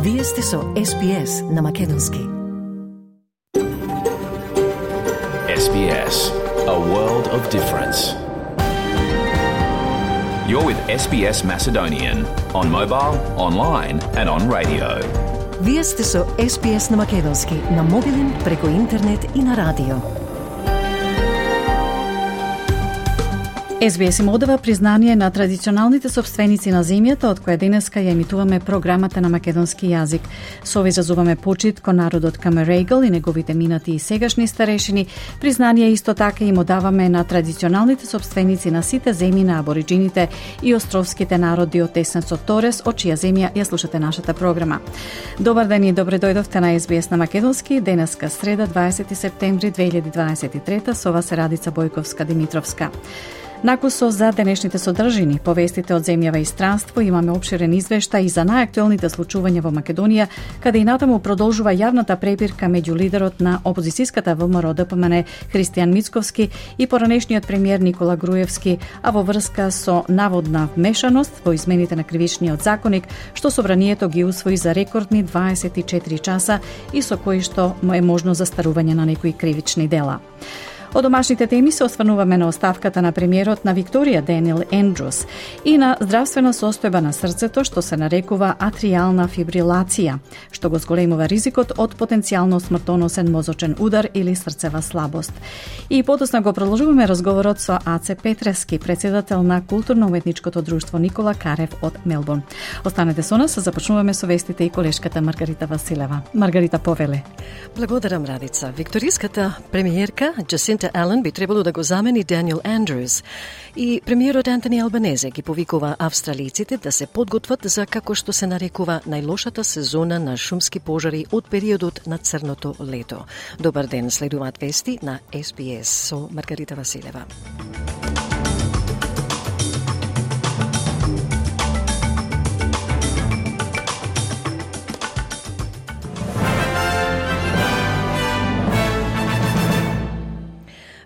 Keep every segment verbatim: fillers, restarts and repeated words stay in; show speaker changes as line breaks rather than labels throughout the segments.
Вие сте со Ес Би Ес на Македонски.
Ес Би Ес, a world of difference. You're with Ес Би Ес Macedonian on mobile, online and on radio.
Вие сте со Ес Би Ес на Македонски, на мобилен, преку интернет и на радио. Ес Би Ес им одава признание на традиционалните собственици на земјата, од која денеска ја емитуваме програмата на македонски јазик. Со ова изразуваме почит кон народот Камерегал и неговите минати и сегашни старешини. Признание исто така им одаваме на традиционалните собственици на сите земји на абориджините и островските народи од Теснецот Торес, од чија земја ја слушате нашата програма. Добар ден и добре дојдовте на Ес Би Ес на Македонски. Денеска среда, дваесети септември две илјади дваесет и трета, со вас е Радица Бојковска-Димитровска. Накусо за денешните содржини, повестите од земјава и странство, имаме обширен извештај и за најактуелните случувања во Македонија, каде и натаму продолжува јавната препирка меѓу лидерот на опозицијската ВМРО Д П М Н Христијан Мицковски и поранешниот премиер Никола Груевски, а во врска со наводна вмешаност во измените на кривичниот законник, што собранието ги усвои за рекордни дваесет и четири часа и со кои што е можно застарување на некои кривични дела. Од домашните теми се осврнуваме на оставката на премиерот на Викторија Даниел Ендрус и на здравствена состојба на срцето што се нарекува атријална фибрилација, што го зголемува ризикот од потенцијално смртоносен мозочен удар или срцева слабост. И подосна го продолжуваме разговорот со Аце Петрески, председател на културно-уметничкото друштво Никола Карев од Мелбурн. Останете со нас, започнуваме со вестите и колешката Маргарита Василева. Маргарита, повеле.
Благодарам, Радица. Викториската премиерка Джасинта Ален би требало да го замени Даниел Ендрус и премиерот Антони Албанезе ги повикува австралиците да се подготват за, како што се нарекува, најлошата сезона на шумски пожари од периодот на црното лето. Добар ден, следуваат вести на Ес Би Ес со Маргарита Василева.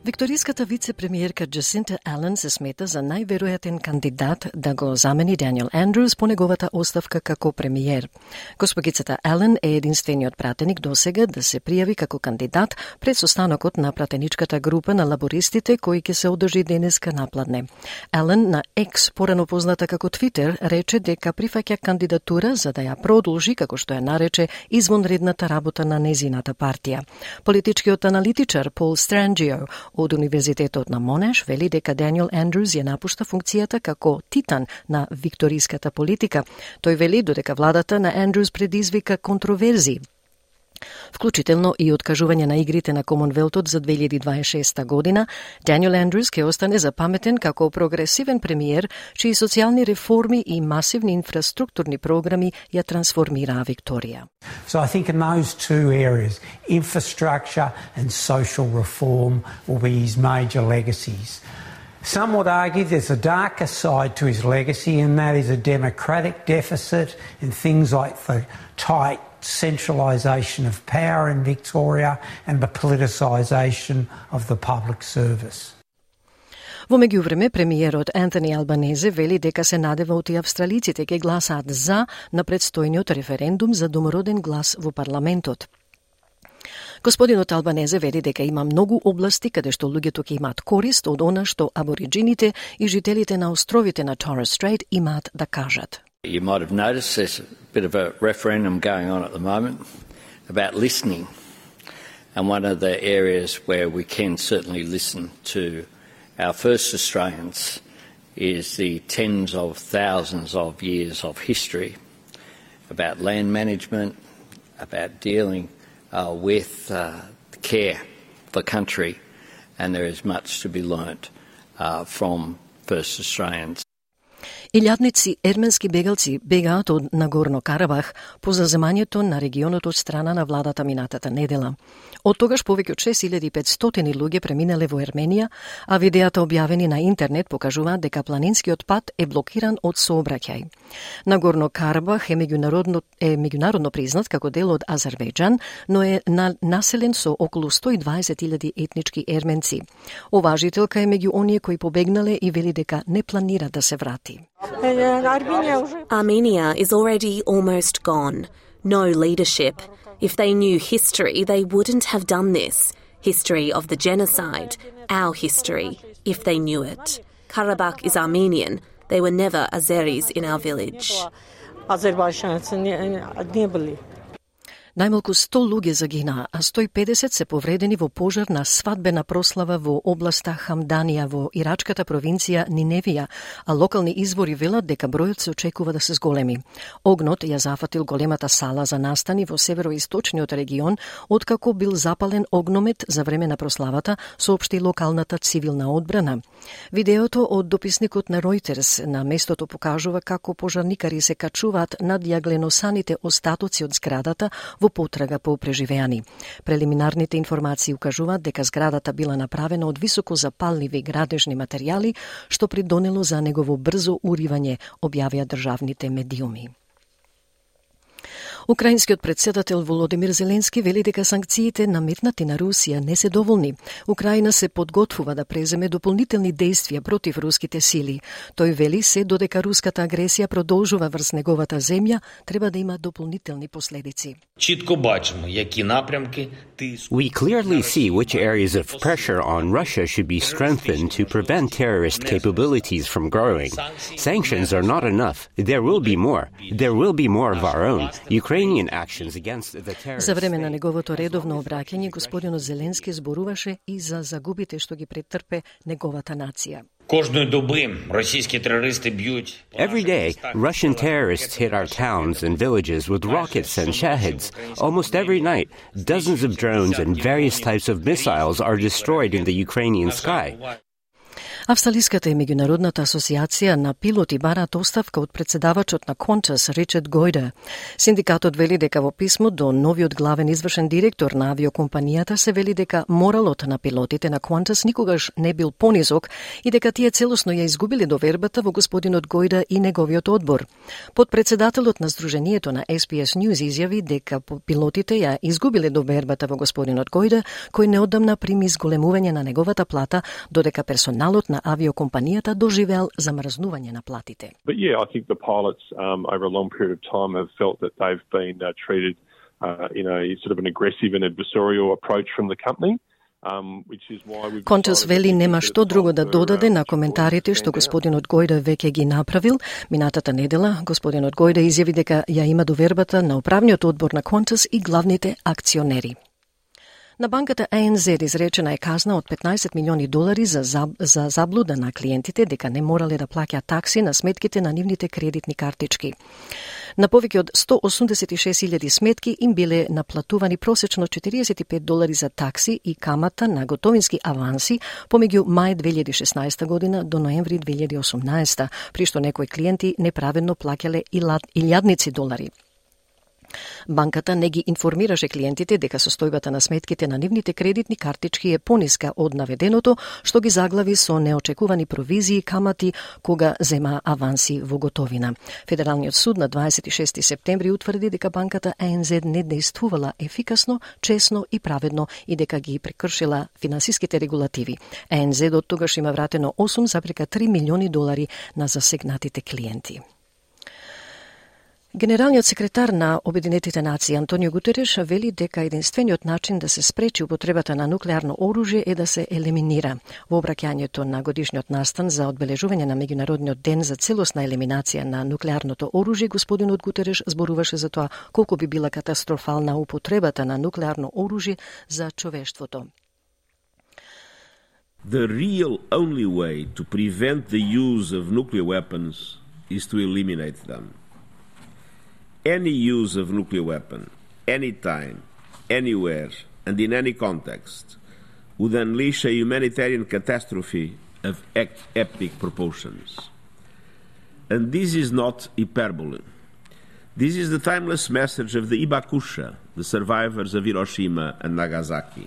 Викториската вице-премиерка Джасинта Ален се смета за најверојатен кандидат да го замени Даниел Ендрус по неговата оставка како премиер. Госпогицата Ален е единствениот пратеник досега да се пријави како кандидат пред состанокот на пратеничката група на лабористите кој ќе се одржи денеска напладне. Ален на Екс, порано позната како Твитер, рече дека прифаќа кандидатура за да ја продолжи, како што ја нарече, извонредната работа на незината партија. Политичкиот аналитичар Пол Странджио од Универзитетот на Монеш вели дека Даниел Ендрус ја напушта функцијата како титан на викториската политика. Тој вели додека владата на Ендрус предизвика контроверзии, вклучително и откажување на игрите на Комонвелтот за две илјади дваесет и шеста година, Даниел Ендрус ќе остане запаметен како прогресивен премиер, чии социјални реформи и масивни инфраструктурни програми ја трансформираа Викторија.
So I think in those two areas, infrastructure and social reform will be his major legacies. Some would argue there's a darker side to his legacy, and that is a democratic deficit in things like the tight centralisation of power in Victoria and the politicisation of the public service.
Во меѓувреме, премиерот Антони Албанезе вели дека се надева оти австралиците ќе гласаат за на предстојниот референдум за домороден глас во парламентот. Господинот Албанезе вели дека има многу области каде што луѓето ќе имаат корист од она што абориджините и жителите на островите на Торres Strait имаат да кажат.
You might have noticed there's a bit of a referendum going on at the moment about listening. And one of the areas where we can certainly listen to our first Australians is the tens of thousands of years of history about land management, about dealing uh, with uh, care for country, and there is much to be learnt uh, from first Australians.
Илјадници ерменски бегалци бегаат од Нагорно Карабах по заземањето на регионот од страна на владата минатата недела. Од тогаш повеќе од шест илјади и петстотини луѓе преминале во Ерменија, а видеата објавени на интернет покажуваат дека планинскиот пат е блокиран од сообраќај. Нагорно Карабах е меѓународно, е меѓународно признат како дел од Азербејџан, но е на, населен со околу сто и дваесет илјади етнички ерменци. Оваа жителка е меѓу оние кои побегнале и вели дека не планира да се врати.
Armenia is already almost gone. no leadership. If they knew history, they wouldn't have done this. History of the genocide, our history, if they knew it. Karabakh is Armenian. There were never Azeris in our village.
Најмалку сто луѓе загинаа, а сто и педесет се повредени во пожар на свадбена прослава во областа Хамданија во ирачката провинција Ниневија, а локални извори велат дека бројот се очекува да се зголеми. Огнот ја зафатил големата сала за настани во североисточниот регион, откако бил запален огномет за време на прославата, соопшти локалната цивилна одбрана. Видеото од дописникот на Reuters на местото покажува како пожарникари се качуваат над јагленосаните остатоци од зградата во потрага по преживеани. Прелиминарните информации укажуваат дека зградата била направена од високо запалливи градежни материјали, што придонело за негово брзо уривање, објавија државните медиуми. Украинскиот председател Володимир Зеленски вели дека санкциите наметнати на Русија не се доволни. Украина се подготвува да преземе дополнителни действија против руските сили. Тој вели се додека руската агресија продолжува врз неговата земја, треба да има дополнителни последици.
We clearly see which areas of pressure on Russia should be strengthened to prevent terrorist capabilities from growing. Sanctions are not enough. There will be more. There will be more of our own. Ukrainian actions against the terrorists.
За време на неговото редовно обраќање, господинот Зеленски зборуваше и за загубите што ги претрпе неговата нација.
Every day, Russian terrorists hit our towns and villages with rockets and shaheeds. Almost every night, dozens of drones and various types of missiles are destroyed in the Ukrainian sky.
Австралиската и меѓународната асоциација на пилоти бараат оставка од председавачот на Qantas Ричард Гојде. Синдикатот вели дека во писмо до новиот главен извршен директор на авиокомпанијата се вели дека моралот на пилотите на Qantas никогаш не бил понизок и дека тие целосно ја изгубили довербата во господинот Гојде и неговиот одбор. Подпредседателот на Сдруженијето на Ес Би Ес News изјави дека пилотите ја изгубиле довербата во господинот Гојде, кој неодамна прими зголемување на неговата плата, додека персоналот на авиокомпанијата доживеал замрзнување на платите.
But yeah, I think the pilots um, over a long period of time have felt that they've been uh, treated uh, in a sort of an aggressive and adversarial approach from the company. Um,
Qantas вели нема што друго да додаде на коментарите што господинот Гојде веќе ги направил. Минатата недела господинот Гојде изјави дека ја има довербата на управниот одбор на Qantas и главните акционери. На банката А Ен Зед изречена е казна од петнаесет милиони долари за, заб, за заблуда на клиентите дека не морале да плаќаат такси на сметките на нивните кредитни картички. На повеќе од сто осумдесет и шест илјади сметки им биле наплатувани просечно четириесет и пет долари за такси и камата на готовински аванси помеѓу мај две илјади и шеснаесета година до ноември две илјади и осумнаесета, при што некои клиенти неправедно плаќале илјадници долари. Банката не ги информираше клиентите дека состојбата на сметките на нивните кредитни картички е пониска од наведеното, што ги заглави со неочекувани провизии и камати кога зема аванси во готовина. Федералниот суд на дваесет и шести септември утврди дека банката А Ен Зед не действувала ефикасно, чесно и праведно и дека ги прекршила финансиските регулативи. А Ен Зед од тогаш има вратено осум запирка три милиони долари на засегнатите клиенти. Генералниот секретар на Обединетите нации Антонио Гутереш вели дека единствениот начин да се спречи употребата на нуклеарно оружје е да се елиминира. Во обраќањето на годишниот настан за одбележување на меѓународниот ден за целосна елиминација на нуклеарното оружје, господинот Гутереш зборуваше за тоа колку би била катастрофална употребата на нуклеарно оружје за човештвото.
The real only way to prevent the use of nuclear weapons is to eliminate them. Any use of nuclear weapon, anytime, anywhere, and in any context, would unleash a humanitarian catastrophe of epic proportions. And this is not hyperbole. This is the timeless message of the Ibakusha, the survivors of Hiroshima and Nagasaki.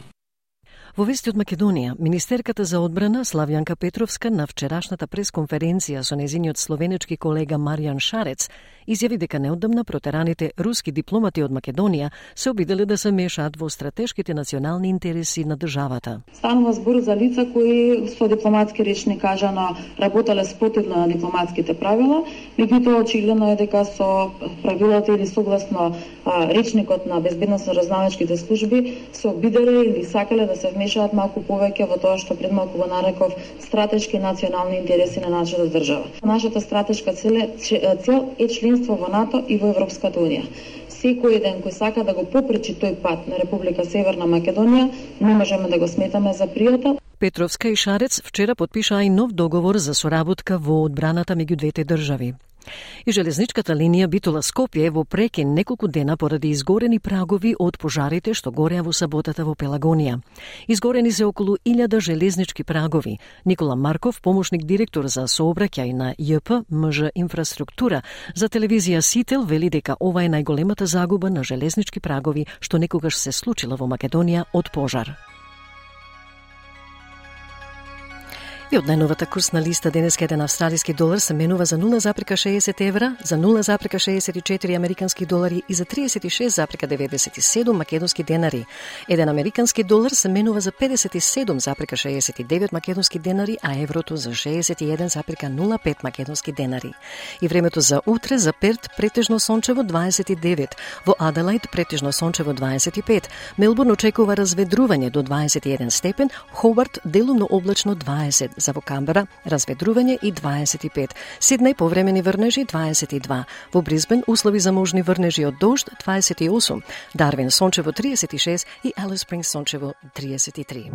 Во вести од Македонија, министерката за одбрана Славјанка Петровска на вчерашната пресконференција со нејзиниот словенечки колега Маријан Шарец изјави дека неодамна протераните руски дипломати од Македонија се обиделе да се мешаат во стратешките национални интереси на државата.
Станува збор за лица кои со дипломатски речник кажано работеле спротивно на дипломатските правила, меѓутоа очигледно е дека со правилата или согласно а, речникот на безбедносно-разузнавачките служби се обиделе или сакале да се вмешаат малку повеќе во тоа што пред малку го нареков стратешки национални интереси на нашата држава. Нашата стратешка цел е, цел е членство во НАТО и во Европската унија. Секој ден кој сака да го попречи тој пат на Република Северна Македонија, не можеме да го сметаме за пријател.
Петровска и Шарец вчера потпишаа и нов договор за соработка во одбраната меѓу двете држави. И железничката линија Битола-Скопје во прекин неколку дена поради изгорени прагови од пожарите што гореа во саботата во Пелагонија. Изгорени се околу илјада железнички прагови. Никола Марков, помошник директор за сообраќај на ЈП МЖ Инфраструктура за телевизија Сител, вели дека ова е најголемата загуба на железнички прагови што некогаш се случила во Македонија од пожар. И од најновата курсна листа денеска еден австралиски долар се менува за нула запирка шеесет евра, за нула запирка шеесет и четири американски долари и за триесет и шест запирка деветдесет и седум македонски денари. Еден американски долар се менува за педесет и седум запирка шеесет и девет македонски денари, а еврото за шеесет и еден запирка нула пет македонски денари. И времето за утре за Перт претежно сончево дваесет и девет, во Аделаид претежно сончево дваесет и пет, Мелбурн очекува разведрување до дваесет и еден степен, Хобарт делумно облачно дваесет, за во Камбера разведрување и дваесет и пет, Сиднеј повремени врнежи дваесет и два, во Брисбен услови за можни врнежи од дожд дваесет и осум, Дарвин сончево триесет и шест и Алис Спрингс сончево триесет и три.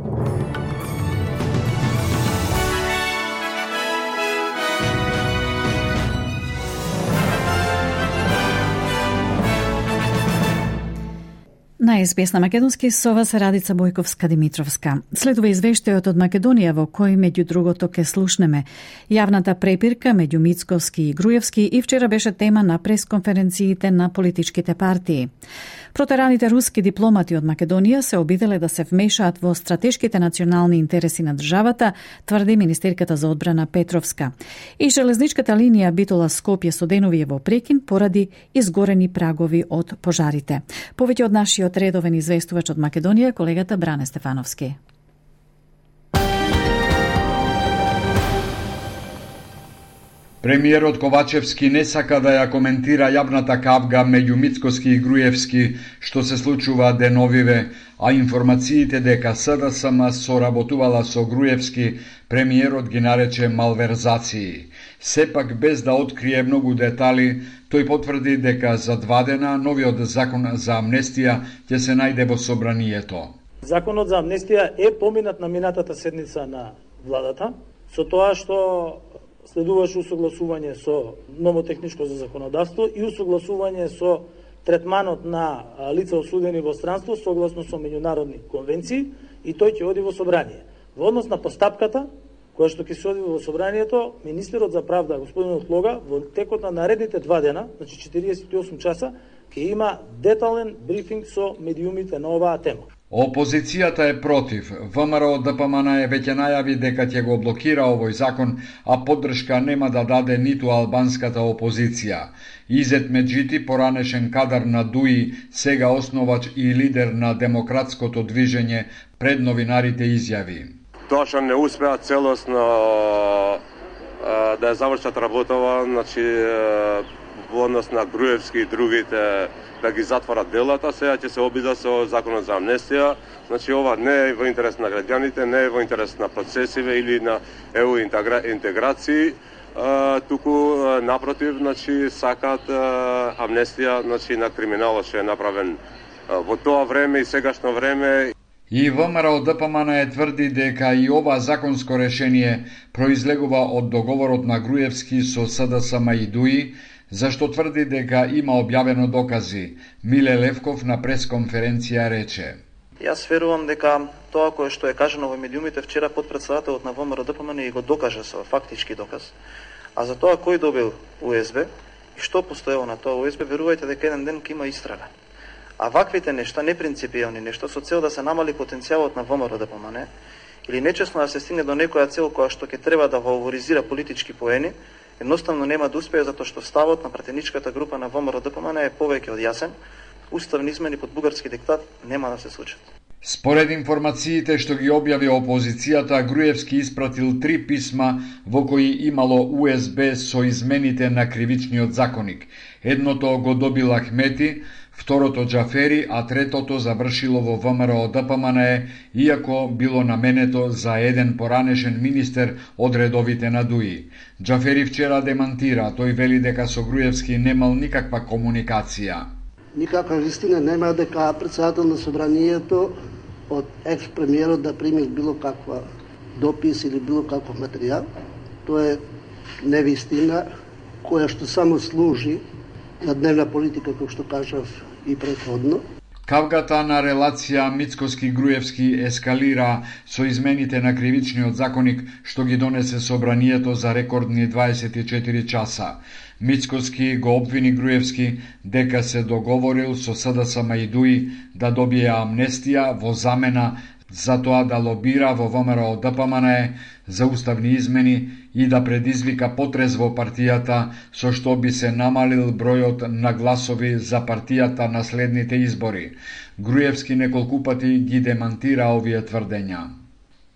На ес би ес на македонски со вас Радица Бојковска-Димитровска. Следува извештајот од Македонија во кој меѓу другото ке слушнеме јавната препирка меѓу Мицковски и Груевски и вчера беше тема на пресконференциите на политичките партии. Протераните руски дипломати од Македонија се обиделе да се вмешаат во стратешките национални интереси на државата, тврди министерката за одбрана Петровска. И железничката линија Битола-Скопје со денови е во прекин поради изгорени прагови од пожарите. Повеќе од нашиот редовен известувач од Македонија, колегата Бране Стефановски.
Премиерот Ковачевски не сака да ја коментира јавната кавга меѓу Мицкоски и Груевски што се случува деновиве, а информациите дека СДСМ соработувала со Груевски, премиерот ги нарече малверзации. Сепак без да открие многу детали, тој потврди дека за два дена новиот закон за амнестија ќе се најде во собранието.
Законот за амнестија е поминат на минатата седница на владата, со тоа што следуваше усогласување со номотехничко за законодавство и усогласување со третманот на лица осудени во странство согласно со меѓународни конвенции и тој ќе оди во собрание. Во однос на постапката која што ќе се оди во собранието, министерот за правда господин Отлога во текот на наредните два дена, значи четириесет и осум часа, ќе има детален брифинг со медиумите на оваа тема.
Опозицијата е против. ВМРО ДПМН е веќе најави дека ќе го блокира овој закон, а поддршка нема да даде ниту албанската опозиција. Изет Меджити, поранешен кадар на ДУИ, сега основач и лидер на демократското движење, пред новинарите изјави:
Тоа што не успеа целосно да ја завршат работава, значи во однос на Груевски и другите да ги затворат делата, сега ќе се обида со законот за амнестија. Значи ова не е во интерес на граѓаните, не е во интерес на процесиве или на е у интеграции, туку напротив, значи сакат амнестија, значи на криминалот што е направен во тоа време и сегашно време.
И ВМРО ДПМН е тврди дека и ова законско решение произлегува од договорот на Груевски со СДСМ и ДУИ, зашто тврди дека има објавено докази. Миле Левков на пресконференција рече:
Јас верувам дека тоа кое што е кажано во медиумите вчера потпредседателот на ВМРО ДПМН и го докаже со фактички доказ. А за тоа кој добил У Ес Бе и што постоело на тоа У Ес Бе, верувајте дека еден ден ќе има истрага. А ваквите нешта, непринципијални нешта, со цел да се намали потенцијалот на ВМРО ДПМН или нечесно да се стигне до некоја цел која што ќе треба да фаворизира политички поени, едноставно нема да успее затоа што ставот на пратеничката група на ВМРО-ДПМН е повеќе од јасен. Уставни измени под бугарски диктат нема да се случат.
Според информациите што ги објави опозицијата, Груевски испратил три писма во кои имало У Ес Бе со измените на кривичниот законник. Едното го добил Ахмети, второто Џафери, а третото завршило во ВМРО-ДПМН, иако било наменето за еден поранешен министер од редовите на ДУИ. Џафери вчера демантира, тој вели дека со Груевски немал никаква комуникација.
Никаква вистина нема дека председател на собранието од екс-премиерот да прими било каква допис или било каков материјал. Тоа е невистина која што само служи на дневна политика, како што кажав и претходно.
Кавгата на релација Мицкоски-Груевски ескалира со измените на кривичниот законник што ги донесе собранието за рекордни дваесет и четири часа. Мицкоски го обвини Груевски дека се договорил со С Д С М и ДУИ да добие амнестија во замена за тоа да лобира во ВМРО-ДПМН за уставни измени и да предизвика потрес во партијата со што би се намалил бројот на гласови за партијата на следните избори. Груевски неколку пати ги демантира овие тврдења.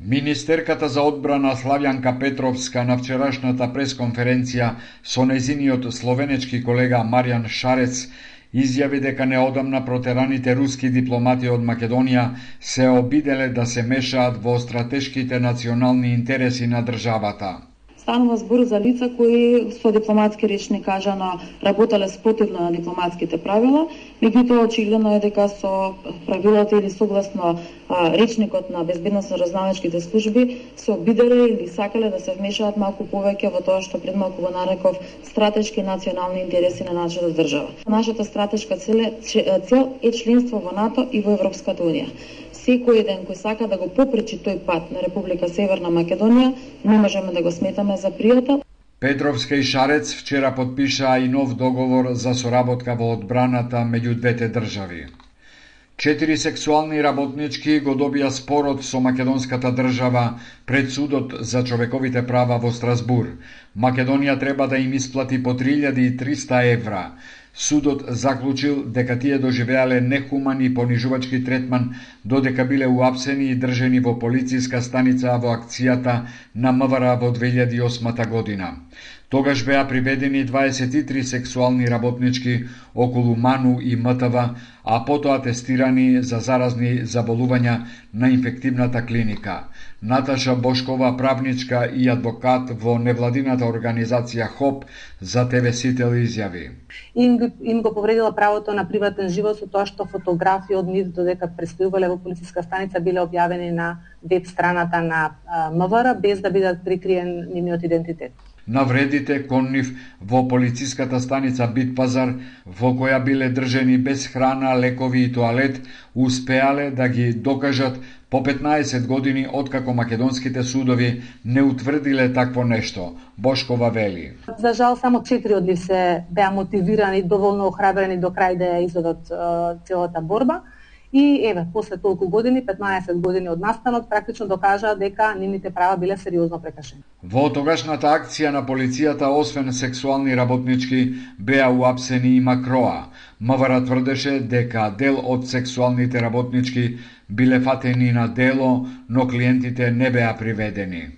Министерката за одбрана Славјанка Петровска на вчерашната пресконференција со нејзиниот словенечки колега Маријан Шарец изјави дека неодамна протераните руски дипломати од Македонија се обиделе да се мешаат во стратешките национални интереси на државата.
Станува збор за лица кои со дипломатски речни кажано работеле спротивно на дипломатските правила, меѓутоа очигледно е дека со правилата или согласно а, речникот на безбедносно-разузнавачките служби се обиделе или сакале да се вмешаат малку повеќе во тоа што пред малку го нареков стратешки национални интереси на нашата држава. Нашата стратешка цел е членство во НАТО и во Европската унија. Секој еден кој сака да го попречи тој пат на Република Северна Македонија, не можеме да го сметаме за пријател.
Петровска и Шарец вчера подпишаа и нов договор за соработка во одбраната меѓу двете држави. Четири сексуални работнички го добија спорот со македонската држава пред судот за човековите права во Страсбур. Македонија треба да им исплати по три илјади и триста евра. Судот заклучил дека тие доживеале нехуман и понижувачки третман додека биле уапсени и држени во полициска станица во акцијата на М В Р во две илјади и осма година. Тогаш беа приведени дваесет и три сексуални работнички околу Ману и М Т В, а потоа тестирани за заразни заболувања на инфективната клиника. Наташа Бошкова, правничка и адвокат во невладината организација ХОП, за Т В Сител изјави.
Им, им го повредила правото на приватен живот со тоа што фотографии од нив додека престојувале во полициска станица биле објавени на веб страната на М В Р без да бидат прикриен нивниот идентитет.
Навредите кон нив во полициската станица Битпазар, во која биле држени без храна, лекови и тоалет, успеале да ги докажат по петнаесет години откако македонските судови не утврдиле такво нешто. Бошкова вели.
За жал, само четири од нив се беа мотивирани, доволно охрабрени до крај да ја изведат целата борба. И еве, после толку години, петнаесет години од настанот, практично докажа дека нивните права биле сериозно прекашени.
Во тогашната акција на полицијата, освен сексуални работнички, беа уапсени и Макроа. М В Р тврдеше дека дел од сексуалните работнички биле фатени на дело, но клиентите не беа приведени.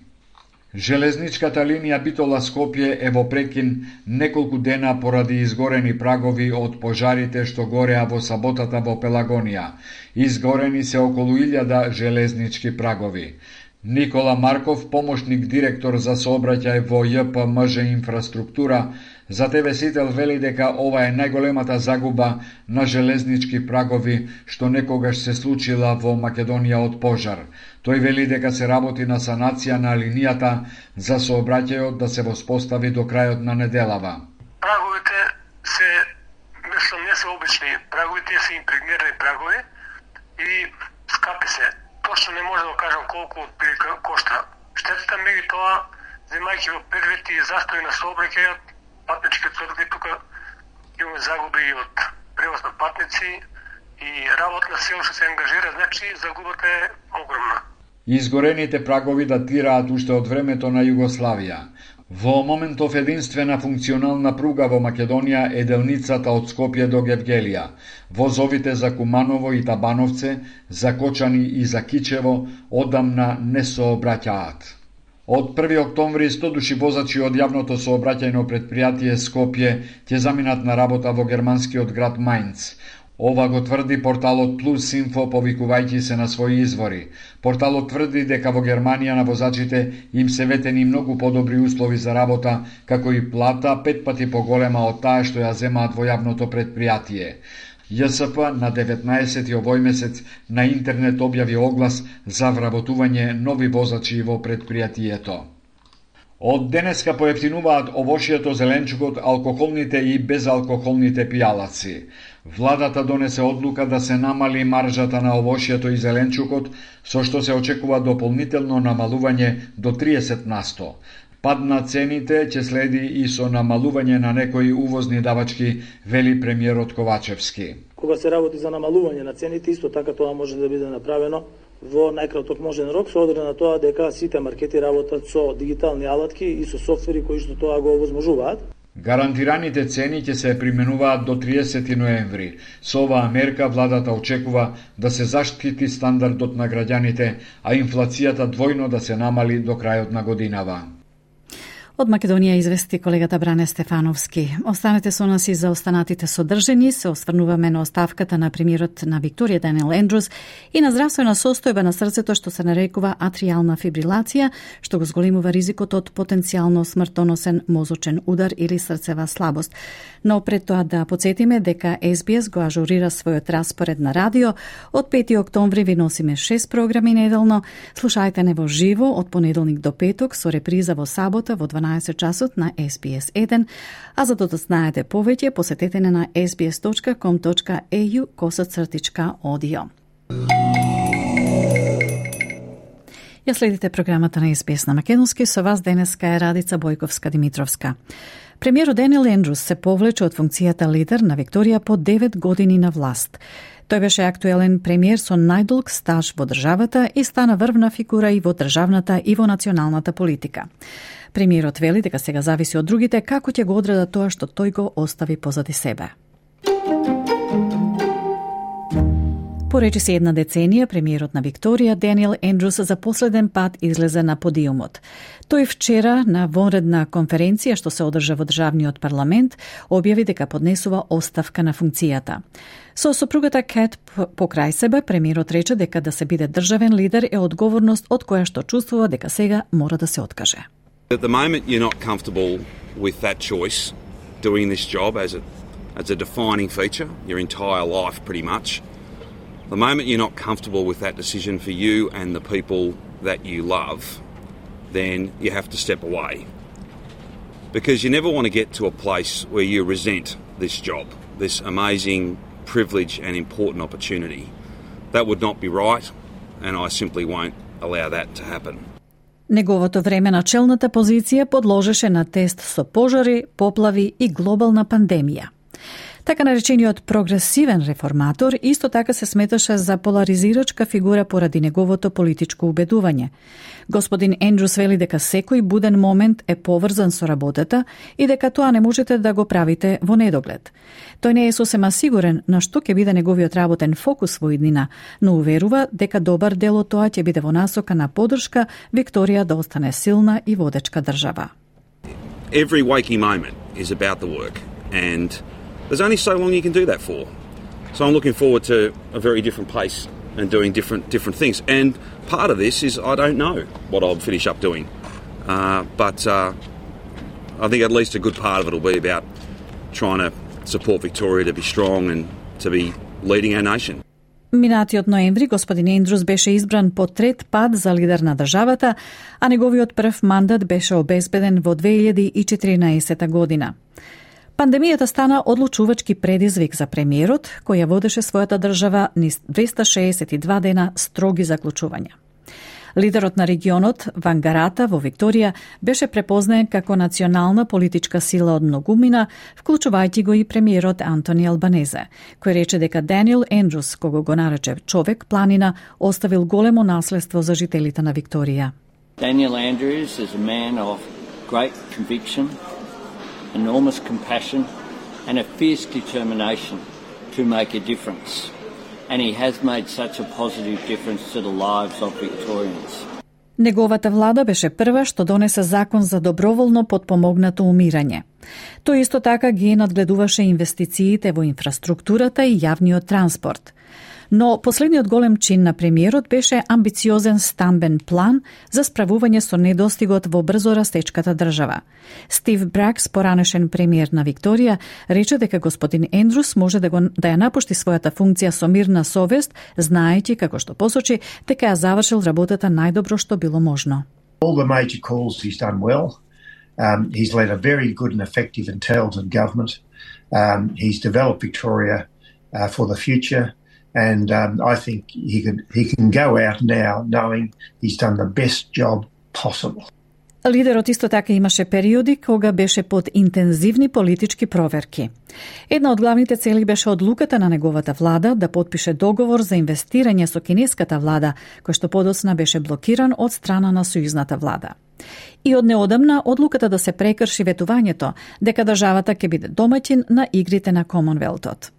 Железничката линија Битола-Скопје е во прекин неколку дена поради изгорени прагови од пожарите што гореа во саботата во Пелагонија. Изгорени се околу илјада железнички прагови. Никола Марков, помошник директор за сообраќај во Ј П М Ж инфраструктура, за Т В Сител вели дека ова е најголемата загуба на железнички прагови што некогаш се случила во Македонија од пожар. Тој вели дека се работи на санација на линијата за сообраќајот да се воспостави до крајот на неделава.
Праговите се, мислам, не се обични прагови, тие се импрегнирани прагови и скапи се. Точно не може да кажам колку отприлика кошта. Штетата меѓутоа, земајќи во предвид и застој на сообраќајот, патнички тврди тука имаме загуби и од превоз на патници и работна сила што се ангажира, значи загубата е огромна.
Изгорените прагови датираат уште од времето на Југославија. Во моментов единствена функционална пруга во Македонија е делницата од Скопје до Гевгелија. Возовите за Куманово и Табановце, за Кочани и за Кичево одамна не сообраќаат. Од први октомври сто души возачи од јавното сообраќајно предпријатие Скопје ќе заминат на работа во германскиот град Мајнц. Ова го тврди порталот Plus Info повикувајќи се на своји извори. Порталот тврди дека во Германија на возачите им се ветени многу подобри услови за работа, како и плата пет пати поголема од таа што ја земаат во јавното предпријатие. ЈСП на деветнаесети овој месец на интернет објави оглас за вработување нови возачи во предпријатието. Од денеска поевтинуваат овошјето, зеленчукот, алкохолните и безалкохолните пијалаци. Владата донесе одлука да се намали маржата на овошјето и зеленчукот, со што се очекува дополнително намалување до триесет на сто. Пад на цените ќе следи и со намалување на некои увозни давачки, вели премиерот Ковачевски.
Кога се работи за намалување на цените, исто така тоа може да биде направено во најкраток можен рок, со оглед на тоа дека сите маркети работат со дигитални алатки и со софтвери кои што тоа го овозможуваат.
Гарантираните цени ќе се применуваат до триесети ноември. Со оваа мерка владата очекува да се заштити стандардот на граѓаните, а инфлацијата двојно да се намали до крајот на годинава.
Од Македонија извести колегата Бране Стефановски. Останете со нас и за останатите содржини. Се осврнуваме на оставката на премиерот на Викторија Даниел Ендрус и на здравствена состојба на срцето што се нарекува атријална фибрилација, што го зголемува ризикот од потенцијално смртоносен мозочен удар или срцева слабост. Но пред тоа да подсетиме дека Ес Би Ес го ажурира својот распоред на радио. Од пети октомври ви носиме шест програми неделно. Слушајте не во живо од понеделник до петок со реприза во сабота во дванаесет часот на Ес Би Ес еден, а за да знаете повеќе, посетете на ес би ес точка ком точка е ю косацртичка одио. Ја следите програмата на Ес Би Ес на македонски, со вас денеска е Радица Бојковска-Димитровска. Премиерот Даниел Ендрус се повлече од функцијата лидер на Викторија по девет години на власт. Тој беше актуелен премиер со најдолг стаж во државата и стана врвна фигура и во државната и во националната политика. Премиерот вели дека сега зависи од другите како ќе го одредат тоа што тој го остави позади себе. По речиси една деценија, премиерот на Викторија Даниел Ендрус за последен пат излезе на подиумот. Тој вчера на вонредна конференција што се одржа во државниот парламент објави дека поднесува оставка на функцијата. Со сопругата Кет покрај себе, премиерот рече дека да се биде државен лидер е одговорност од која што чувствува дека сега мора да се откаже.
At the moment you're not comfortable with that choice, doing this job as a, as a defining feature, your entire life pretty much. The moment you're not comfortable with that decision for you and the people that you love, then you have to step away. Because you never want to get to a place where you resent this job, this amazing privilege and important opportunity. That would not be right, and I simply won't allow that to happen.
Неговото време на челната позиција подложеше на тест со пожари, поплави и глобална пандемија. Така наречениот прогресивен реформатор исто така се сметаше за поларизирачка фигура поради неговото политичко убедување. Господин Ендрус вели дека секој буден момент е поврзан со работата и дека тоа не можете да го правите во недоглед. Тој не е сосема сигурен на што ќе биде неговиот работен фокус во иднина, но уверува дека добар дел од тоа ќе биде во насока на поддршка Викторија да остане силна и водечка држава.
Every waking moment is about the work, and there's only so long you can do that for. So I'm looking forward to a very different pace and doing different different things. And part of this is I don't know what I'll finish up doing. Uh, but uh, I think at least a good part of it will be about trying to support Victoria to be strong and to be leading our nation.
Минатиот ноември господин Ендрус беше избран по трет пат за лидер на државата, а неговиот прв мандат беше обезбеден во две илјади и четиринаесета година. Пандемијата стана одлучувачки предизвик за премиерот, кој ја водеше својата држава низ двеста шеесет и два дена строги заклучувања. Лидерот на регионот, Вангарата во Викторија, беше препознаен како национална политичка сила од многумина, вклучувајќи го и премиерот Антони Албанезе, кој рече дека Даниел Ендрус, кого го нарече човек планина, оставил големо наследство за жителите на Викторија.
Daniel Andrews is a man of great conviction, enormous compassion and a fierce determination to make a difference. And he has made such a positive difference to the lives of Victorians.
Неговата влада беше прва што донесе закон за доброволно подпомогнато умирање. Тој исто така ги надгледуваше инвестициите во инфраструктурата и јавниот транспорт. Но последниот голем чин на премиерот беше амбициозен стамбен план за справување со недостигот во брзо растечката држава. Стив Бракс, поранешен премиер на Викторија, рече дека господин Ендрус може да, го, да ја напушти својата функција со мирна совест, знаејќи, како што посочи, дека ја завршил работата најдобро што било можно.
All the major calls he's done well. Um, he's led a very good and effective and talented government. Um, he's developed Victoria uh, for the future. And um, I think he can, he can go out now knowing he's done the best job possible.
Лидерот исто така имаше периоди кога беше под интензивни политички проверки. Една од главните цели беше одлуката на неговата влада да подпише договор за инвестирање со кинеската влада, кој што подоцна беше блокиран од страна на сојузната влада. И од неодамна одлуката да се прекрши ветувањето дека државата ќе биде домаќин на игрите на Комонвелтот.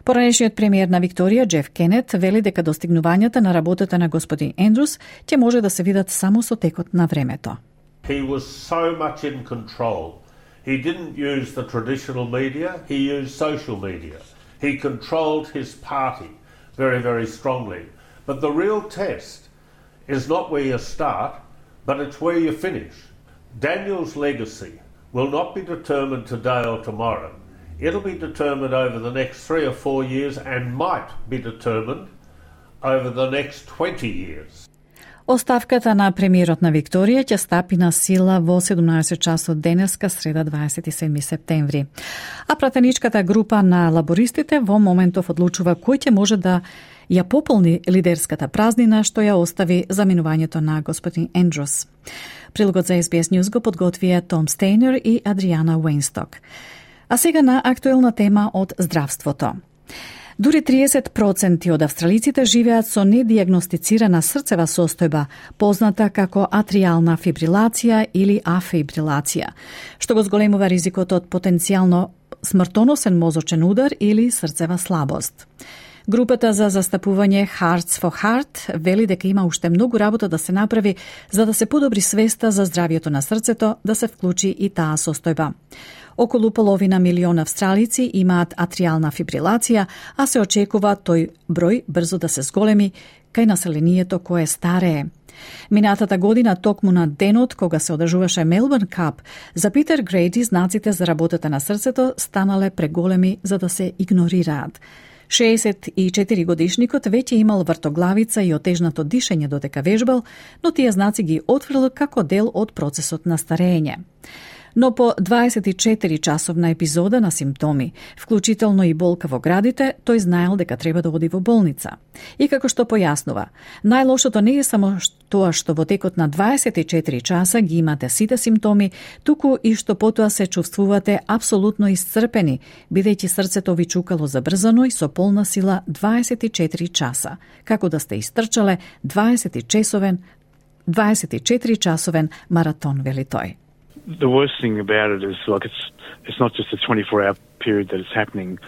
Поранешниот премиер на Викторија, Джеф Кенет, вели дека достигнувањата на работата на господин Ендрус ќе може да се видат само со текот на времето.
He was so much in control. He didn't use the traditional media, he used social media. He controlled his party very, very strongly. But the real test is not where you start, but it's where you finish. Daniel's legacy will not be determined today or tomorrow. It'll be determined over the next three or four years and might be determined over the next twenty years.
Оставката на премиерот на Викторија ќе стапи на сила во седумнаесет часот денеска, среда дваесет и седми септември. А пратеничката група на лабористите во моментов одлучува кој ќе може да ја пополни лидерската празнина што ја остави заминувањето на господин Ендрус. Прилогот за Ес Би Ес News го подготвија Том Стейнер и Адриана Уейнсток. А сега на актуелна тема од здравството. Дури триесет проценти од австралиците живеат со недиагностицирана срцева состојба, позната како атриална фибрилација или афибрилација, што го зголемува ризикот од потенцијално смртоносен мозочен удар или срцева слабост. Групата за застапување Hearts for Heart вели дека има уште многу работа да се направи за да се подобри свеста за здравјето на срцето, да се вклучи и таа состојба. Околу половина милион австралици имаат атриална фибрилација, а се очекува тој број брзо да се зголеми кај населението кое старее. Минатата година, токму на денот кога се одржуваше Мелбурн Кап, за Питер Грейди знаците за работата на срцето станале преголеми за да се игнорираат. шеесет и четири годишникот веќе имал вртоглавица и отежнато дишење додека вежбал, но тие знаци ги отфрлил како дел од процесот на старење. Но по дваесет и четири часовна епизода на симптоми, вклучително и болка во градите, тој знаел дека треба да оди во болница. И како што појаснува, најлошото не е само тоа што во текот на дваесет и четири часа ги имате сите симптоми, туку и што потоа се чувствувате апсолутно исцрпени, бидејќи срцето ви чукало забрзано и со полна сила дваесет и четири часа, како да сте истрчале дваесет и четири часовен маратон, вели тој.
The worst thing about it is like it's it's not just a twenty-four hour period that it's happening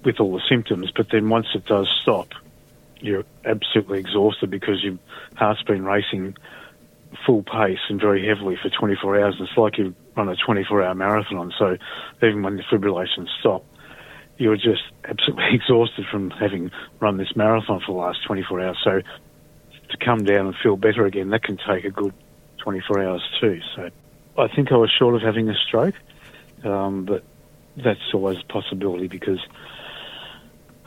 with all the symptoms, but then once it does stop, you're absolutely exhausted because your heart's been racing full pace and very heavily for twenty-four hours. It's like you run a twenty-four hour marathon. So even when the fibrillations stop, you're just absolutely exhausted from having run this marathon for the last twenty-four hours. So to come down and feel better again, that can take a good twenty-four hours too. So I think I was short of having a stroke, um, but that's always a possibility because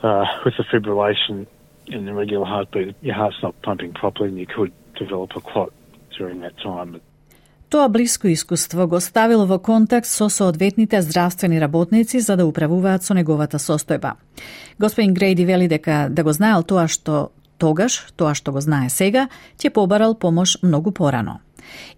uh, with the fibrillation and the regular heartbeat, your heart's not pumping properly and you could develop a clot during that time.
Тоа блиско искуство го ставил во контакт со соодветните здравствени работници за да управуваат со неговата состојба. Господин Грейди вели дека да го знаел тоа што тогаш, тоа што го знае сега, ќе побарал помош многу порано.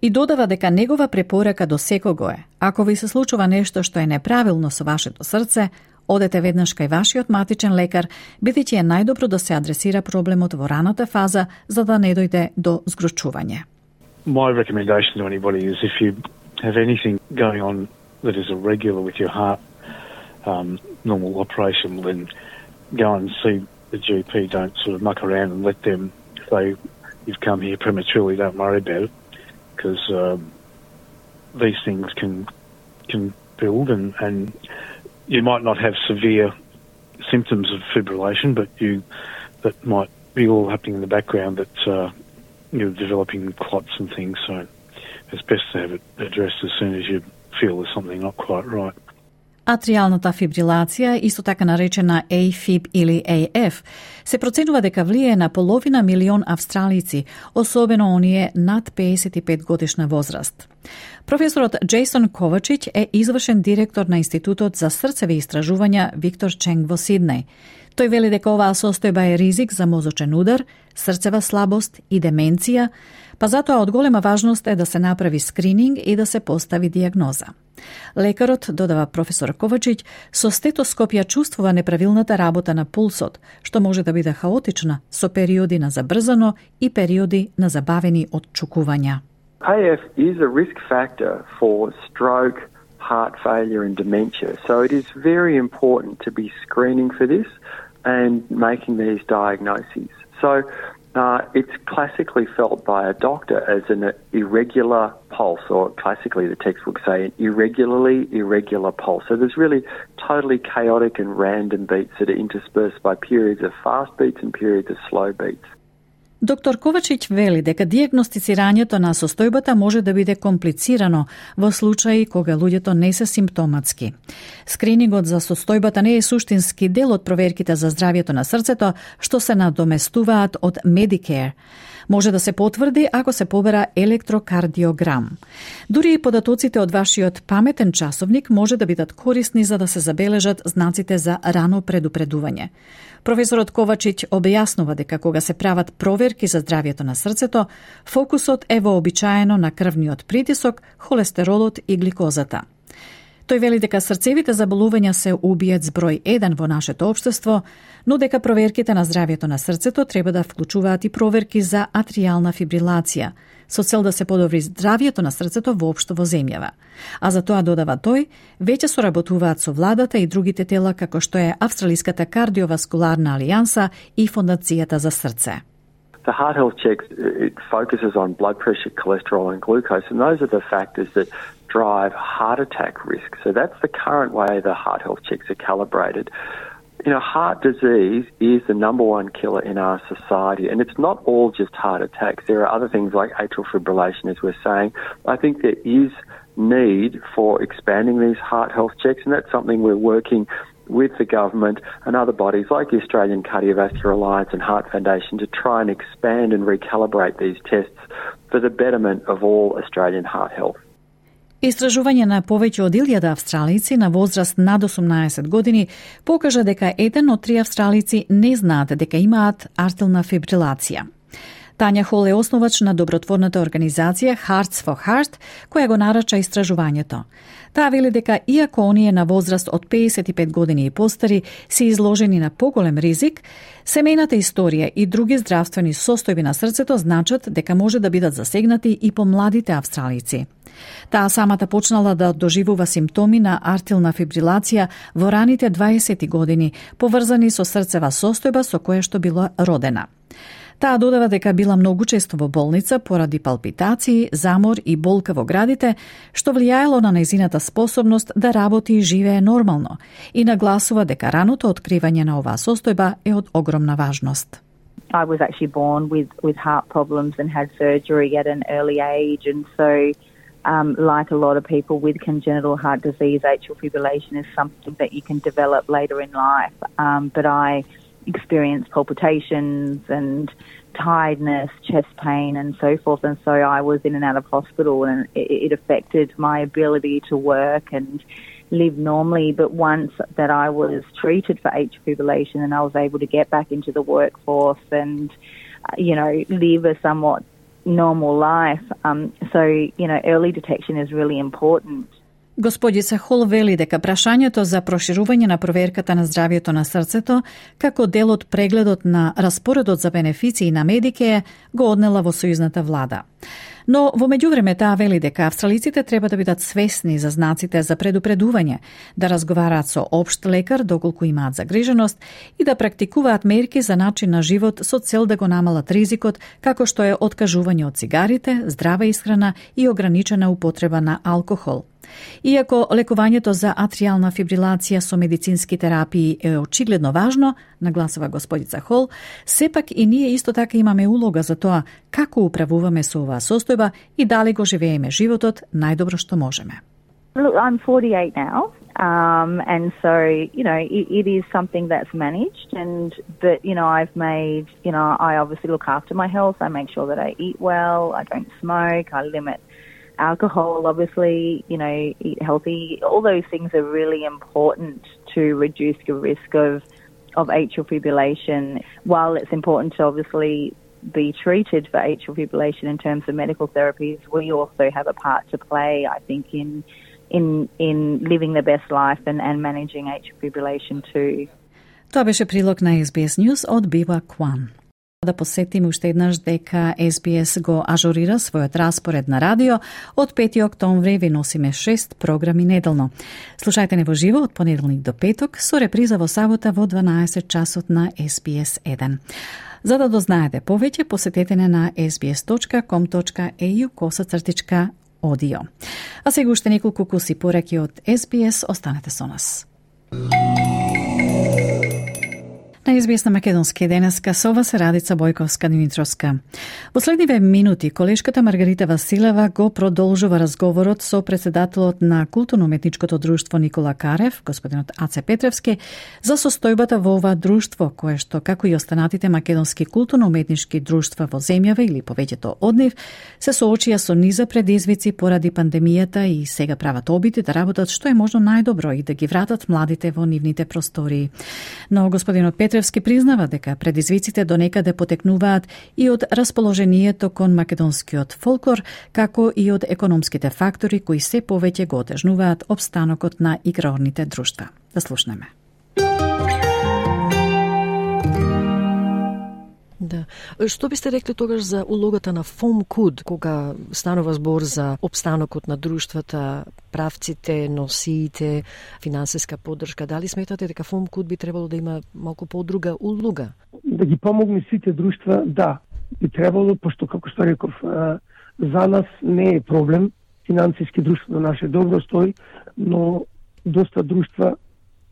И додава дека негова препорака до секого е, ако ви се случува нешто што е неправилно со вашето срце, одете веднаш кај вашиот матичен лекар, бидејќи е најдобро да се адресира проблемот во раната фаза, за да не дојде до згручување.
My recommendation to anybody is if you have anything going on that is irregular with your heart, um, normal operation, then go and see the G P. Don't sort of muck around and let them say you've come here prematurely. Don't worry about it, because um, these things can can build, and, and you might not have severe symptoms of fibrillation, but you that might be all happening in the background that uh, you're developing clots and things. So it's best to have it addressed as soon as you feel there's something not quite right.
Атријалната фибрилација, исто така наречена A Fib или A F, се проценува дека влијае на половина милион австралици, особено оние над педесет и пет годишна возраст. Професорот Джейсон Ковачич е извршен директор на Институтот за срцеви истражувања Виктор Ченг во Сиднеј. Тој вели дека оваа состојба е ризик за мозочен удар, срцева слабост и деменција, па затоа од голема важност е да се направи скрининг и да се постави диагноза. Лекарот, додава професор Ковачич, со стетоскоп ја чувствува неправилната работа на пулсот, што може да биде хаотична, со периоди на забрзано и периоди на забавени отчукувања.
A F is a risk factor for stroke, heart failure and dementia. So it is very important to be screening for this and making these diagnoses. So uh, it's classically felt by a doctor as an irregular pulse, or classically the textbooks say an irregularly irregular pulse. So there's really totally chaotic and random beats that are interspersed by periods of fast beats and periods of slow beats.
Доктор Ковачич вели дека диагностицирањето на состојбата може да биде комплицирано во случаи кога луѓето не се симптоматски. Скринингот за состојбата не е суштински дел од проверките за здравјето на срцето, што се надоместуваат од Medicare. Може да се потврди ако се побера електрокардиограм. Дури и податоците од вашиот паметен часовник може да бидат корисни за да се забележат знаците за рано предупредување. Професорот Ковачич објаснува дека кога се прават проверки за здравјето на срцето, фокусот е вообичаено на крвниот притисок, холестеролот и гликозата. Тој вели дека срцевите заболувања се убиец број еден во нашето општество, но дека проверките на здравјето на срцето треба да вклучуваат и проверки за атријална фибрилација, со цел да се подобри здравјето на срцето воопшто во земјава. А за тоа, додава тој, веќе соработуваат со владата и другите тела како што е Австралиската кардиоваскуларна алијанса и Фондацијата за срце.
The heart health check, it focuses on blood pressure, cholesterol and glucose, and those are the factors that drive heart attack risk. So that's the current way the heart health checks are calibrated. You know, heart disease is the number one killer in our society, and it's not all just heart attacks. There are other things like atrial fibrillation, as we're saying. I think there is need for expanding these heart health checks, and that's something we're working with the government and other bodies like the Australian Cardiovascular Alliance and Heart Foundation to try and expand and recalibrate these tests for the betterment of all Australian heart health.
Истражување на повеќе од илјада австралици на возраст над осумнаесет години покажа дека еден од три австралици не знаат дека имаат артилна фибрилација. Тања Хол е основач на добротворната организација Hearts for Heart, која го нарача истражувањето. Таа вели дека иако оние на возраст од педесет и пет години и постари се изложени на поголем ризик, семејната историја и други здравствени состојби на срцето значат дека може да бидат засегнати и помладите австралици. Таа самата почнала да доживува симптоми на артилна фибрилација во раните дваесети години, поврзани со срцева состојба со која што била родена. Таа додава дека била многу често во болница поради палпитации, замор и болка во градите, што влијаело на нејзината способност да работи и живее нормално, и нагласува дека раното откривање на оваа состојба е од огромна важност.
I was actually born with, with heart problems and had surgery at an early age, and so um, like a lot of people with congenital heart disease, atrial fibrillation is something that you can develop later in life, um, but I experienced palpitations and tiredness, chest pain and so forth, and so I was in and out of hospital, and it, it affected my ability to work and live normally. But once that I was treated for atrial fibrillation and I was able to get back into the workforce and, you know, live a somewhat normal life, um, so, you know, early detection is really important.
Господица Хол вели дека прашањето за проширување на проверката на здравјето на срцето како дел од прегледот на распоредот за бенефиции на Медикеј го однела во сојузната влада. Но во меѓувреме таа вели дека австралиците треба да бидат свесни за знаците за предупредување, да разговараат со општ лекар доколку имаат загриженост и да практикуваат мерки за начин на живот со цел да го намалат ризикот, како што е откажување од цигарите, здрава исхрана и ограничена употреба на алкохол. Иако лекувањето за атриална фибрилација со медицински терапии е очигледно важно, нагласува господица Хол, сепак и ние исто така имаме улога за тоа како управуваме со оваа состојба и дали го живееме животот најдобро што можеме.
Look, I'm forty-eight now, um, and so, you know, it, it is something that's managed, and that, you know, I've made, you know, I obviously look after my health. I make sure that I eat well, I don't smoke, I limit alcohol, obviously, you know, eat healthy. All those things are really important to reduce the risk of, of atrial fibrillation. While it's important to obviously be treated for atrial fibrillation in terms of medical therapies, we also have a part to play, I think, in in in living the best life and, and managing atrial fibrillation too.
Тоа беше прилог на Ес Би Ес News од Бива Кван. Да посетиме уште еднаш дека Ес Би Ес го ажурира својот распоред на радио. Од пети октомври ви носиме шест програми неделно. Слушајте не во живо од понеделник до петок, со реприза во сабота во дванаесет часот на Ес Би Ес еден. За да дознаете повеќе, посетете не на ес би ес точка ком точка е ю косацртичка одио. А сега уште неколку куси пораки од Ес Би Ес, останете со нас. На Ес Би Ес на Македонски денеска со вас Радица Бојковска-Димитровска. Во следниве минути колешката Маргарита Василева го продолжува разговорот со председателот на Културно-уметничкото друштво Никола Карев, господинот Аце Петревски, за состојбата во ова друштво, кое што, како и останатите македонски културно-уметнички друштва во земјава или повеќето од нив, се соочија со низа предизвици поради пандемијата и сега прават обиди да работат што е можно најдобро и да ги вратат младите во нивните простории. Но господинот Петревски признава дека предизвиците до некаде потекнуваат и од расположението кон македонскиот фолклор, како и од економските фактори кои се повеќе го отежнуваат опстанокот на игрорните друштва. Да слушнеме.
Да. Што бисте рекли тогаш за улогата на ФОМКУД, кога станува збор за опстанокот на друштвата, правците, носиите, финансиска поддршка? Дали сметате дека ФОМКУД би требало да има малку подруга улога?
Да ги помогне сите друштва, да, би требало, пошто, како што реков, за нас не е проблем, финансиски друштво наше добро стои, но доста друштва,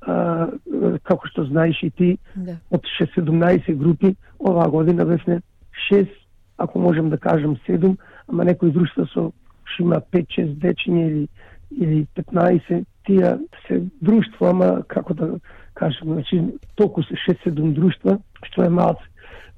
Uh, како што знаеш и ти, да. Од шест-седумнаесет групи, оваа година бевме шест, ако можем да кажем седум, ама некои друштва со што има пет-шест дечиња или, или петнаесет, тие се друштва, ама како да кажем, значи толку се шест-седум друштва, што е малце.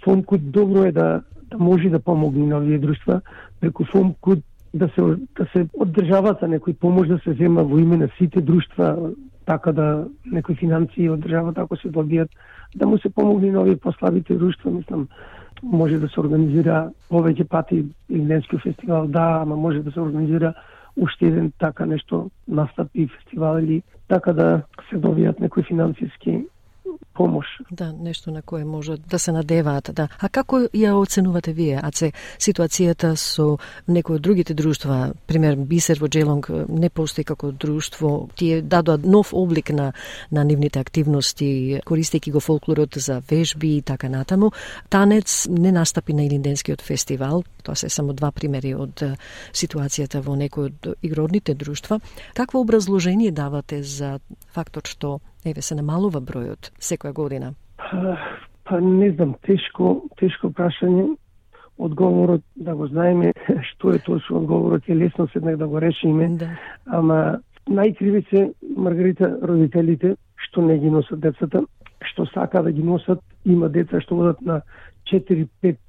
ФОМКУД добро е да, да може да помогне на овие друштва, преку ФОМКУД да се, да се од државата некој помош да се зема во име на сите друштва, така да некои финансии од државата ако се добијат, да му се помогне на овие послабите друштва, мислам, може да се организира повеќе пати Илинденски фестивал, да, ама може да се организира уште еден така нешто настапи фестивал или така да се добијат некои финансиски помош.
Да, нешто на кое може да се надеваат, да. А како ја оценувате вие, Аце, ситуацијата со некои од другите друштва, пример Бисер во Джелонг не постои како друштво, тие дадоа нов облик на на нивните активности, користејќи го фолклорот за вежби и така натаму. Танец не настапи на Илинденскиот фестивал, тоа се само два примери од ситуацијата во некои од игрорните друштва. Какво образложение давате за фактот што еве се намалува бројот секоја година?
Па, па не знам, тешко, тешко прашање. Одговорот да го знаеме, што е тоа со одговорот е лесно седнак да го решиме. Да. Ама најкриви се, Маргарита, родителите што не ги носат децата, што сака да ги носат, има деца што одат на четири-пет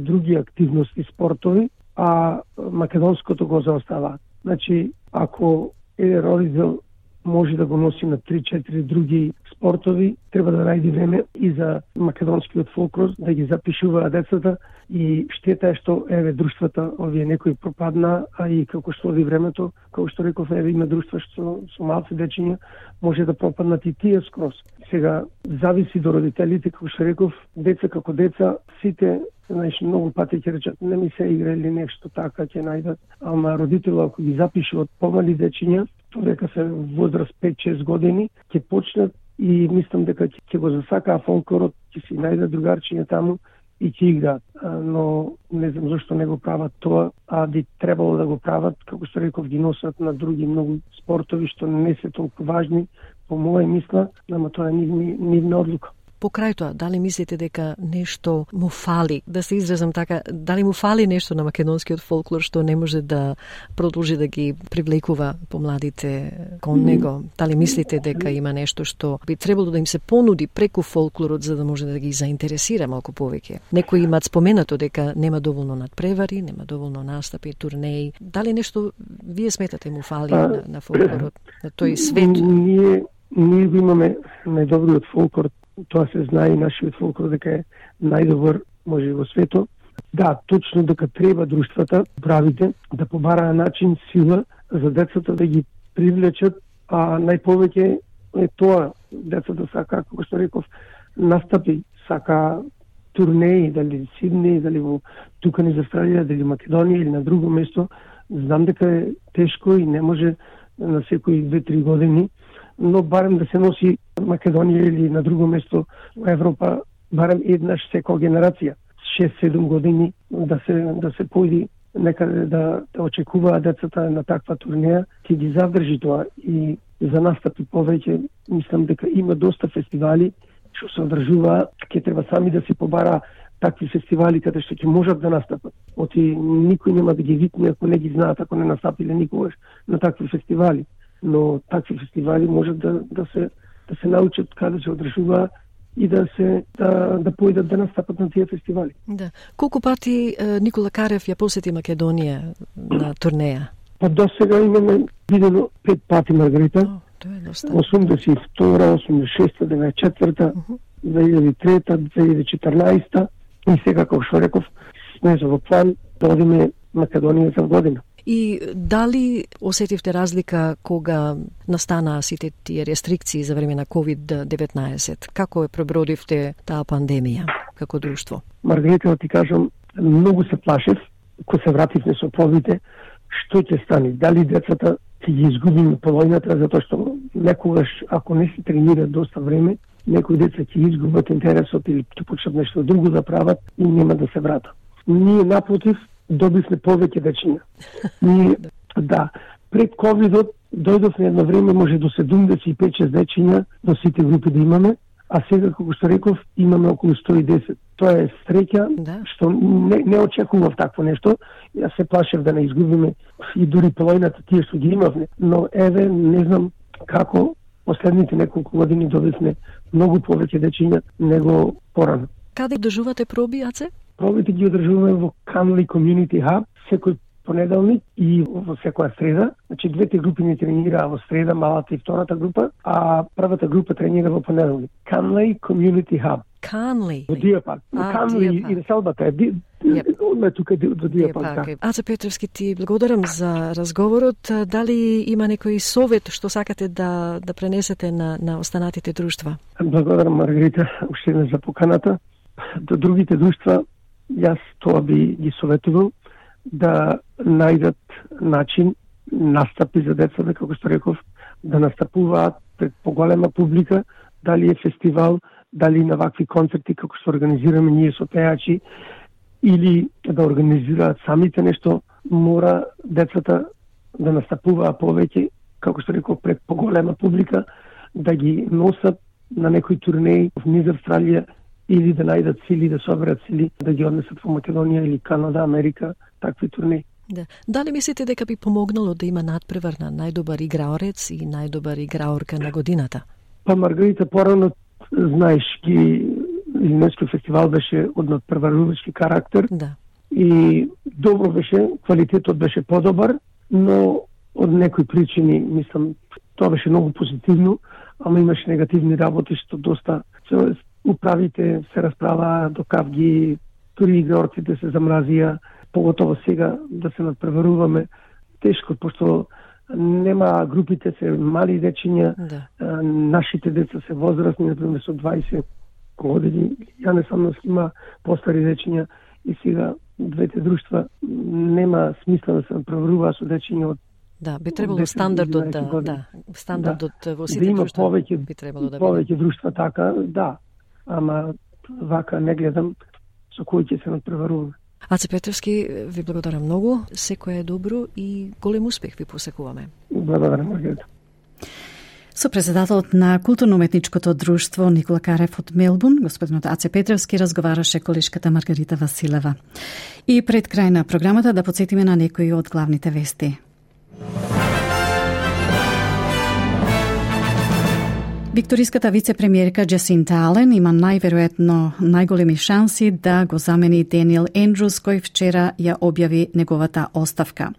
други активности, спортови, а македонското го заоставаат. Значи, ако е родител може да го носи на три-четири други спортови, спортови, треба да најде време и за македонскиот фолклор, да ги запишуваат децата, и штета е што еве друштвата овие некои пропадна, а и како што оди времето, како што реков, еве има друштва што со малци дечиња може да пропаднат и тие скроз. Сега зависи до родителите, како што реков, деца како деца, сите, знаеш, многу пати ќе речат не ми се игра или нешто така ќе најдат, ама родителот ако ги запише од помали дечиња, дека се возраст пет-шест години, ќе почнат и мислам дека ќе го засакаа фолклорот, ќе си најдат другарчиња таму и ќе играат. Но не знам зашто не го прават тоа, а би требало да го прават, како што реков, ги носат на други многу спортови што не се толку важни, по моја мисла, ама тоа е нивна одлука.
Покрај тоа, дали мислите дека нешто му фали, да се изразам така, дали му фали нешто на македонскиот фолклор што не може да продолжи да ги привлекува помладите кон него? Дали мислите дека има нешто што би требало да им се понуди преку фолклорот за да може да ги заинтересира малку повеќе? Некои имаат споменато дека нема доволно надпревари, нема доволно настапи, турнеи. Дали нешто вие сметате му фали а, на, на фолклорот, на тој свет?
Ние, ние имаме најдобриот фолклор. Тоа се знае и нашиот фолклор дека е најдобар може во светот. Да, точно дека треба друштвата, правите, да побараа начин, сила за децата да ги привлечат, а најповеќе е тоа, децата сака, како што реков, настапи, сака турнеи, дали Сидни, дали во тука низ Австралија, дали Македонија или на друго место. Знам дека е тешко и не може на секои две-три години, но барем да се носи Македонија или на друго место во Европа, барем еднаш секоја генерација, шест-седум години, да се да се појди некаде да, да очекуваат децата на таква турнеја, ќе ги задржи тоа и за настапи повеќе. Мислам дека има доста фестивали што се одржуваат, ќе треба сами да се побара такви фестивали каде што ќе можат да настапат. Оти никој нема да ги викне ако не ги знаат, ако не настапиле никогаш на такви фестивали. Но такви фестивали можат да, да се да се научат каде се одржуваат и да се да да појдат да настапат на тие фестивали.
Да. Колку пати Никола Карев ја посети Македонија на турнеја?
Па до сега имаме видено пет пати, Маргарита.
О, тоа е доста.
осумдесет и втора, осумдесет и шеста, деветдесет и четврта, две илјади и трета, две илјади и четрнаесета и сега, како што реков, сме за во план да одиме Македонија за година.
И дали осетивте разлика кога настанаа сите тие рестрикции за време на ковид деветнаесет? Како е пребродивте таа пандемија како друштво?
Маргарита, да ти кажам, многу се плашев кога се вративме со пробите, што ќе стане? Дали децата ќе ги изгубиме полојната, затоа што некогаш, ако не се тренираат доста време, некои деца ќе изгубат интересот или ќе почнат нешто друго да прават и нема да се вратат. Ние напротив добивме повеќе дечиња. Ние, да, пред ковидот дојдовме едно време може до седумдесет и пет-шест дечиња до сите групи да имаме, а сега, како што реков, имаме околу сто и десет. Тоа е среќа, да, што не, не очекував такво нешто. Јас се плашев да не изгубиме и дури полојната тие што ги имавме, но еве, не знам како последните неколку години добивме многу повеќе дечиња него порано.
Каде одржувате проби, Аце?
Пробите ги одржуваме во Canley Community Hub секој понеделник и во секоја среда. Значи двете групи не тренираа во среда, малата и втората група, а првата група тренира во понеделник. Canley Community Hub.
Canley.
Во Диа парк. Canley и Селбата е одме тука до Диа парк.
Аце Петровски, ти благодарам за разговорот. Дали има некој совет што сакате да да пренесете на на останатите друштва?
Благодарам, Маргарита, уште не за поканата. До другите друштва јас тоа би ги советувал да најдат начин, настапи за децата, како што реков, да настапуваат пред поголема публика, дали е фестивал, дали на вакви концерти како што организираме ние со пејачи, или да организираат самите нешто, мора децата да настапуваат повеќе, како што реков, пред поголема публика, да ги носат на некои турнеи низ Австралија, или да најдат сили, да соберат сили, да ги однесат во Македонија или Канада, Америка, такви турнеи.
Да. Дали мислите дека би помогнало да има надпревар на најдобар играорец и најдобар играорка на годината?
Па, Маргарита, порано, знаеш, ги Илинойски фестивал беше од надпреварувачки карактер.
Да.
И добро беше, квалитетот беше подобар, но од некои причини, мислам, тоа беше многу позитивно, ама имаше негативни работи што доста се управите се расправаа до кавги, дури игрорците се замразија, поготово сега да се надпреваруваме тешко, пошто нема, групите се мали дечиња, да. Нашите деца се возрастни, например со дваесет години, ја не сам има постари дечиња и сега двете друштва нема смисла да се надпреваруваат со дечиња од
Да, би требало стандардот да, да, стандардот да. Во сите
да има
друштва
повеќе,
би требало да
повеќе друштва така, да, ама вака не гледам со кои ќе се надпреваруваме.
Аце Петровски, ви благодарам многу, секое е добро и голем успех ви посекуваме.
Благодарам, Маргарита.
Со председателот на Културно-уметничкото друштво Никола Карев од Мелбурн, господинот Аце Петровски, разговараше колешката Маргарита Василева. И пред крај на програмата да подсетиме на некои од главните вести. Викториската вице-премиерка Джасинта Ален има најверојатно најголеми шанси да го замени Даниел Ендрус, кој вчера ја објави неговата оставка.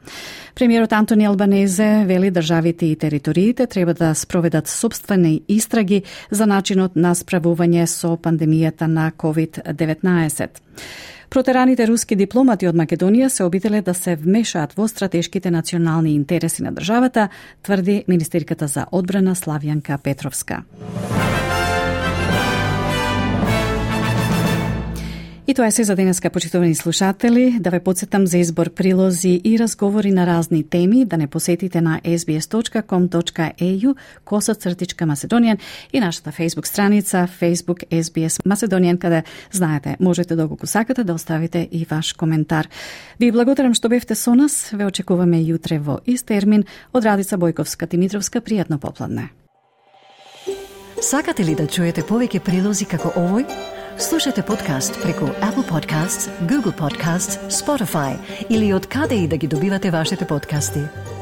Премиерот Антони Албанезе вели државите и териториите треба да спроведат собствени истраги за начинот на справување со пандемијата на ковид деветнаесет. Протераните руски дипломати од Македонија се обиделе да се вмешаат во стратешките национални интереси на државата, тврди министерката за одбрана Славјанка Петровска. И тоа е се за денеска, почитувани слушатели. Да ве подсетам за избор прилози и разговори на разни теми, да не посетите на ес би ес точка ком точка ей ю косацртичка Macedonian и нашата Facebook страница Facebook ес би ес Macedonian, каде, знаете, можете доколку сакате да оставите и ваш коментар. Ви благодарам што бевте со нас. Ве очекуваме јутре во ист термин. Од Радица Бојковска Димитровска, пријатно попладне.
Сакате ли да чуете повеќе прилози како овој? Слушате подкаст преку Apple Podcasts, Google Podcasts, Spotify или од каде и да ги добивате вашите подкасти.